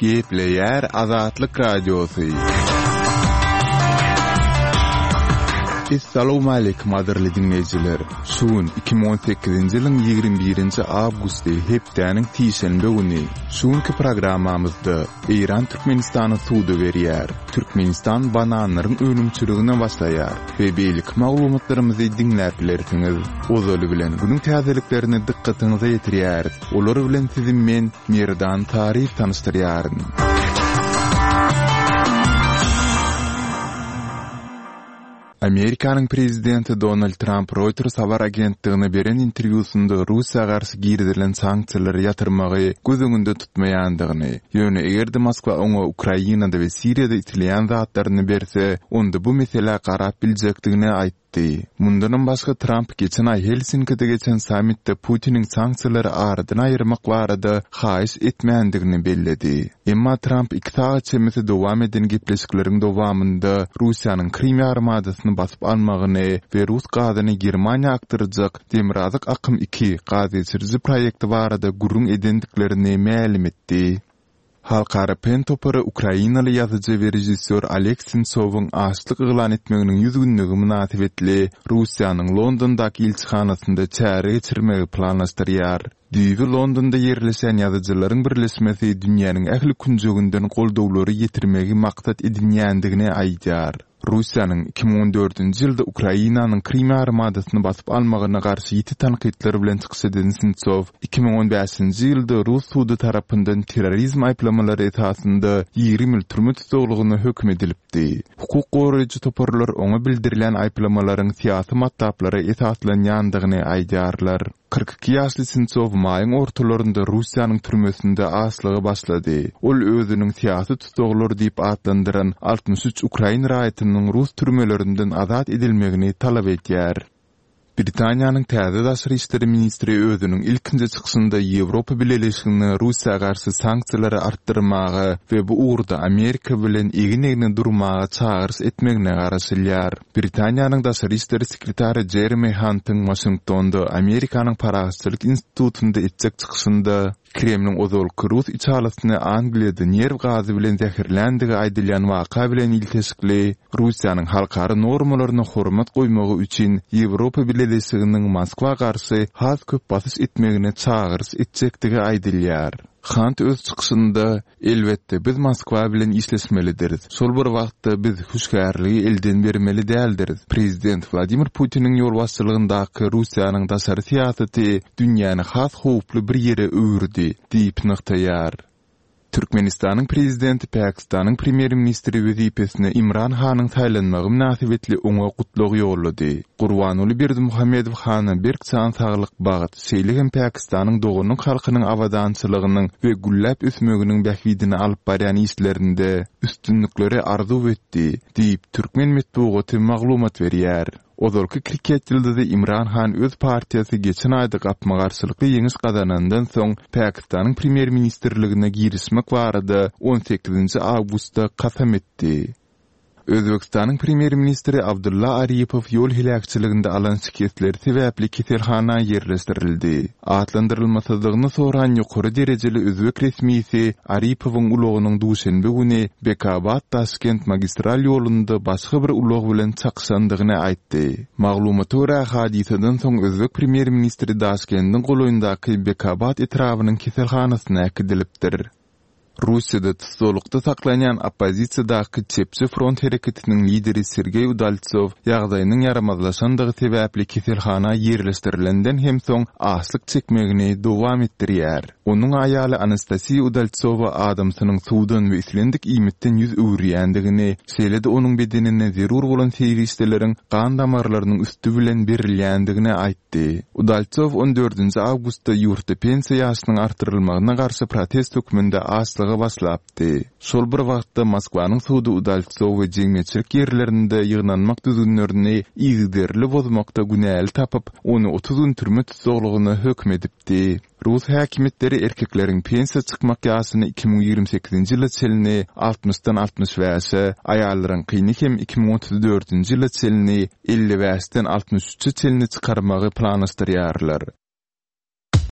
Gepleýär Azatlyk Radiosy. Essalawmaleýkim gadyrly diňleýjiler! Şu gün 2018-nji ýylyň 21-nji awgusty, hepdäniň sişenbe güni. Şu günki programmamyzda Eýran Türkmenistana suda berýär, Türkmenistan bananlaryň önümçiligine başlaýar we beýleki maglumatlarymyzy diňläp bilersiňiz. Ozaly bilen günüň täzeliklerini dykgatyňyza ýetirýäris. Olar bilen sizi men, Merdan Taryýew tanyşdyrýaryn. Amerikanyň prezidenti Donald Tramp Reuters habar agentligine beren interwýusynda Russiýa garşy girizilen sanksiýalary ýatyrmagy göz öňünde tutmaýandygyny, ýöne eger-de Moskwa oňa Ukrainada we Siriýada isleýän zatlaryny berse, onda bu meselä garap biljekdigini aýtdy. Aýtdy. Mundanam başga Tramp geçen aý Helsinkide geçen sammitde Putiniň sanksiýalary aradan aýyrmak barada haýyş etmändigini belledi. Emma Tramp iki sagat çemesi dowam eden gepleşikleriň dowamynda Russiýanyň Krym ýarymadasyny basyp almagyny we rus gazyny Germaniýa akdyrjak Demirgazyk akym iki gazgeçiriji proýekti barada gürrüň edendiklerini mälim etdi. Halkara PEN topary ukrainaly ýazyjy we režissýor Oleg Sentsowyň açlyk yglan etmeginiň 100 günlügi mynasybetli Russiýanyň Londondaky ilçihanasynda çäre geçirmegi planlaşdyrýar. Düýbi Londonda ýerleşýän ýazyjylaryň birleşmesi dünýäniň ähli künjeginden goldawlary ýetirmegi maksat edinýändigini aýdýar. Russiýanyň 2014-nji ýylda Ukrainanyň Krym ýarymadasyny basyp almagyna garşy ýiti tankytlar bilen çykyş eden Sentsow 2015-nji ýylda rus sudy tarapyndan terrorizm aýyplamalary esasynda 20 ýyl türme tussaglygyna höküm edilipdi. Hukuk goraýjy toparlar oňa bildirilýän aýyplamalaryň syýasy matlaplara esaslanýandygyny aýdýarlar. 42 ýaşly Sentsow maýyň ortalarynda Russiýanyň türmesinde açlyga başlady. Ol özüniň syýasy tussaglar diýip atlandyran 63 ukrain raýatynyň rus türmelerinden azat edilmegini talap edýär. Britaniýanyň täze daşary işler ministri özüniň ilkinji çykyşynda Ýewropa Bileleşigine Russiýa garşy sanksiýalary artdyrmaga we bu ugurda Amerika bilen egin-egne durmaga çagyryş etmegine garaşylýar. Britaniýanyň daşary işler sekretary Jeremi Hantyň Waşingtonda Amerikanyň Parahatçylyk institutynda etjek çykyşynda Kremliň ozalky rus içalysyny Angliýada nerw gazy bilen zäherländigi aýdylýan waka bilen ilteşikli Russiýanyň halkara normalaryna hormat goýmagy üçin Ýewropa Bileleşiginiň Moskwa garşy has köp basyş etmegine çagyryş etjekdigi aýdylýar. Hant öz çykyşynda, Elbetde, biz Moskwa bilen işleşmelidiris. Şol bir wagtda, biz hüşgärligi elden bermeli däldiris. Prezident Wladimir Putiniň ýolbaşçylygyndaky Russiýanyň daşary syýasaty dünýäni has howply bir ýere öwürdi diýip nygtaýar. Türkmenistanyň Prezidenti Pakistanyň Premýer-ministri wezipesine Imran Hanyň saýlanmagy mynasybetli oňa gutlag ýollady. Gurbanguly Berdimuhamedow hana berk jan saglyk, bagt, şeýle hem Pakistanyň doganlyk halkynyň abadançylygynyň we gülläp ösmeginiň bähbidine alyp barýan işlerinde üstünlikleri arzuw etdi, diýip, türkmen metbugaty maglumat berýär. Ozalky kriket ýyldyzy Imran Han öz partiýasy geçen aýda gapma-garşylykly ýeňiş gazanandan soň Pakistanyň premýer-ministrligine girişmek barada on sekizinji awgustda kasam etdi. Özbegistanyň premýer-ministri Abdulla Aripow ýol heläkçiliginde alan şikesleri sebäpli keselhana ýerleşdirildi. Atlandyrylmasyzlygyny soran ýokary derejeli özbek resmisi Aripowyň ulagynyň duşenbe güni Bekabad-Daşkent magistral ýolunda başga bir ulag bilen çakyşandygyny aýtdy. Maglumata görä, hadysadan soň özbek premýer-ministri Daşkendiň golaýyndaky Bekabad etrabynyň keselhanasyna äkidilipdir. Russiýada tussaglykda saklanýan oppozisiýadaky Çepçi front hereketiniň lideri Sergeý Udaltsow ýagdaýynyň ýaramazlaşandygy sebäpli keselhana ýerleşdirilenden hem soň açlyk çekmegini dowam etdirýär. Onuň aýaly Anastasiýa Udaltsowa adamsynyň suwdan we islendik iýmitden ýüz öwürýändigini, şeýle-de onuň bedenine zerur bolan serişdeleriň gan damarlarynyň üsti bilen berilýändigini aýtdy. aýtdy. Udaltsow on dördünji awgustda ýurtda pensiýa ýaşynyň artdyrylmagyna garşy protest hökmünde açlyga başlapdy. Şol bir wagtda, Moskwanyň sudy Udaltsowy jemgyýetçilik ýerlerinde ýygnanmak düzgünlerini yzygiderli bozmakda günäli tapyp, ony 30 gün türme tussaglygyna höküm edipdi. Rus häkimiýetleri erkekleriň pensiýa çykmak ýaşyny 2028-nji ýyla çenli altmyşdan 65-e, aýallaryňkyny hem 2034-nji ýyla çenli 55-den 63-e çenli çykarmagy planlaşdyrýarlar.